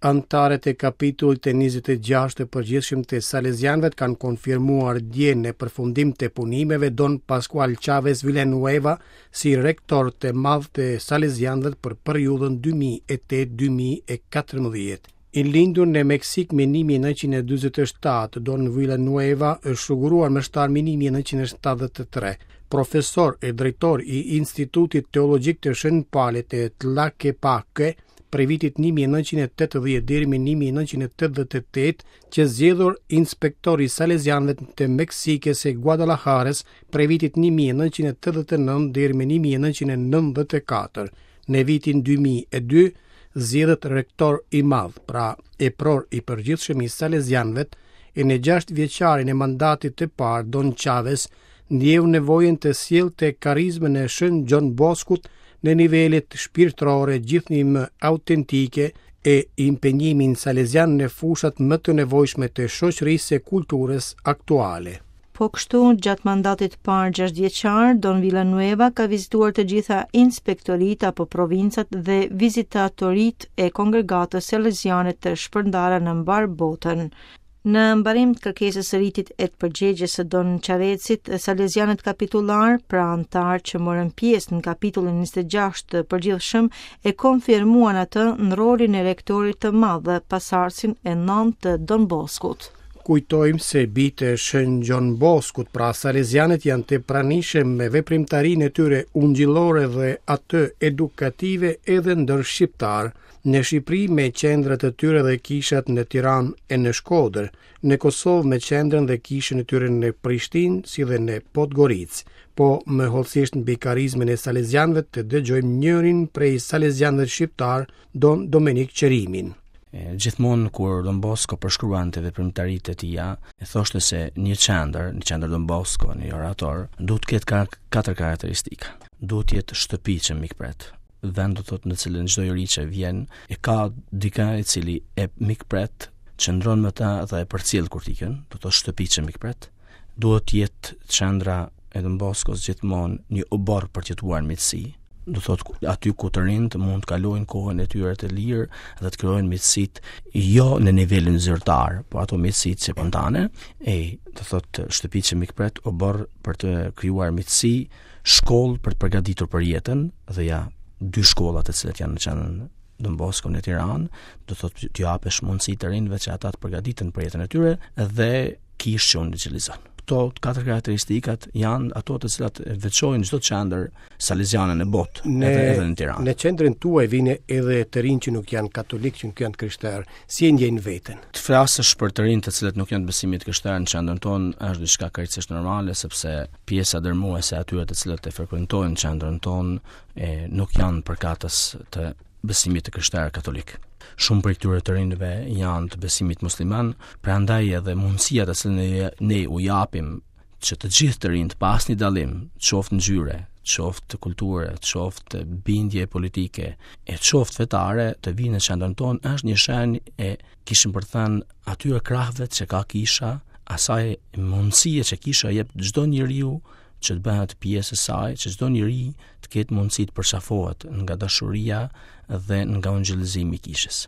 Anëtarët e kapitullit të 26 të përgjithshëm të Salezianëve kanë konfirmuar dje në përfundim të punimeve Don Pascual Chavez Villanueva si rektor të madh të Salezianëve për periudhën 2008-2014. I lindur në Meksikë më 1947, Don Villanueva është shuguruar meshtar më 1973. Profesor e drejtor i Institutit Teologjik të Shën Palit të Tlaquepaque, prej vitit 1980 deri më 1988, qe zgjedhur inspektor i Salezianëve të Meksikës e Guadalajarës prej vitit 1989 deri më 1994. Në vitin 2002 zgjidhet rektor i madh, pra epror i përgjithshëm i Salezianëve, e në 6 vjeçarin e mandatit të parë Don Chavez ndjeu nevojën të sillte karizmën e Shën Gjon Boskut në nivelet shpirtërore gjithnjë më autentike e impenjimin salezian në fushat më të nevojshme të shoqërisë e kulturës aktuale. Po kështu, gjatë mandatit të parë gjashtëvjeçar, Don Villanueva ka vizituar të gjitha inspektoritë apo provincat dhe vizitatoritë e kongregatës saleziane të shpërndara në mbarë botën. Në mbarim të kërkesës së ritit e të përgjegjes së Don Chavezit, salezianët kapitullar, pra anëtarë që morën pjesë në kapitullin 26 të përgjithshëm, e konfirmuan atë në rolin e rektorit të madh dhe pasardhësin e nëntë të Don Boskut. Kujtojmë se bijtë e Shën Gjon Boskut, pra salezianët janë të pranishëm me veprimtarinë e tyre ungjillore dhe atë edukative edhe ndër shqiptarë. Në Shqipëri me qendrat e tyre dhe kishat në Tiranë e në Shkodër, në Kosovë me qendrën dhe kishën e tyre në Prishtinë si dhe në Podgoricë. Po më hollësisht mbi karizmën e salezianëve të dëgjojmë njërin prej salezianëve shqiptarë, Don Domenik Qerimin. Gjithmonë kur Don Bosco përshkruante veprimtaritë e tija, e thoshte se një qendër, një qendër Don Bosco, një orator, duhet të ketë katër karakteristika. Duhet të jetë shtëpi që mikpret, vend do thotë në cilën çdo i ri që vjen e ka dikë i cili e mikpret, qëndron me ta dhe e përcjell kur të ikën, do thotë shtëpi që mikpret. Duhet të jetë qendra e Don Boskos gjithmonë një oborr për të jetuar në miqësi. Do thotë aty ku të rinjtë mund të kalojnë kohën e tyre të lirë dhe të krijojnë miqësitë jo në nivelin zyrtar, po ato miqësitë spontane, e do thotë shtëpi që mikpret, oborr për të krijuar miqësi, shkollë për të përgatitur për jetën dhe ja dy shkolla të cilat janë në qendrën Don Bosco në Tiranë, do thotë t'u japësh mundësi të rinjve që ata të përgatiten për jetën e tyre dhe kishë që ungjillizon. Këto katër karakteristikat janë ato të cilat veçojnë çdo qendër saleziane në botë, në, edhe edhe në Tiranë. Në qendrën tuaj vijnë edhe të rinj që nuk janë katolikë, që nuk janë të krishterë. Si e ndjejnë veten? Të flasësh për të rinj të cilët nuk janë të besimit të krishterë në qendrën tonë është diçka krejtësisht normale sepse pjesa dërmuese e atyre të cilët e frekuentojnë qendrën tonë e nuk janë përkatës të besimit të krishterë katolik. Shumë prej këtyre të rinjve janë të besimit musliman, prandaj edhe mundësia të cilën ne, ne u japim që të gjithë të rinjtë pa asnjë dallim, qoftë ngjyre, qoftë kulture, qoftë bindje politike, e qoftë fetare, të vijnë në qendrën tonë është një shenjë e kishim për të thënë atyre krahëve që ka kisha, asaj mundësie që kisha jep çdo njeriu që të bëhet pjesë e saj, që çdo njeri të ketë mundësi të përqafohet nga dashuria dhe nga ungjillizimi i kishës.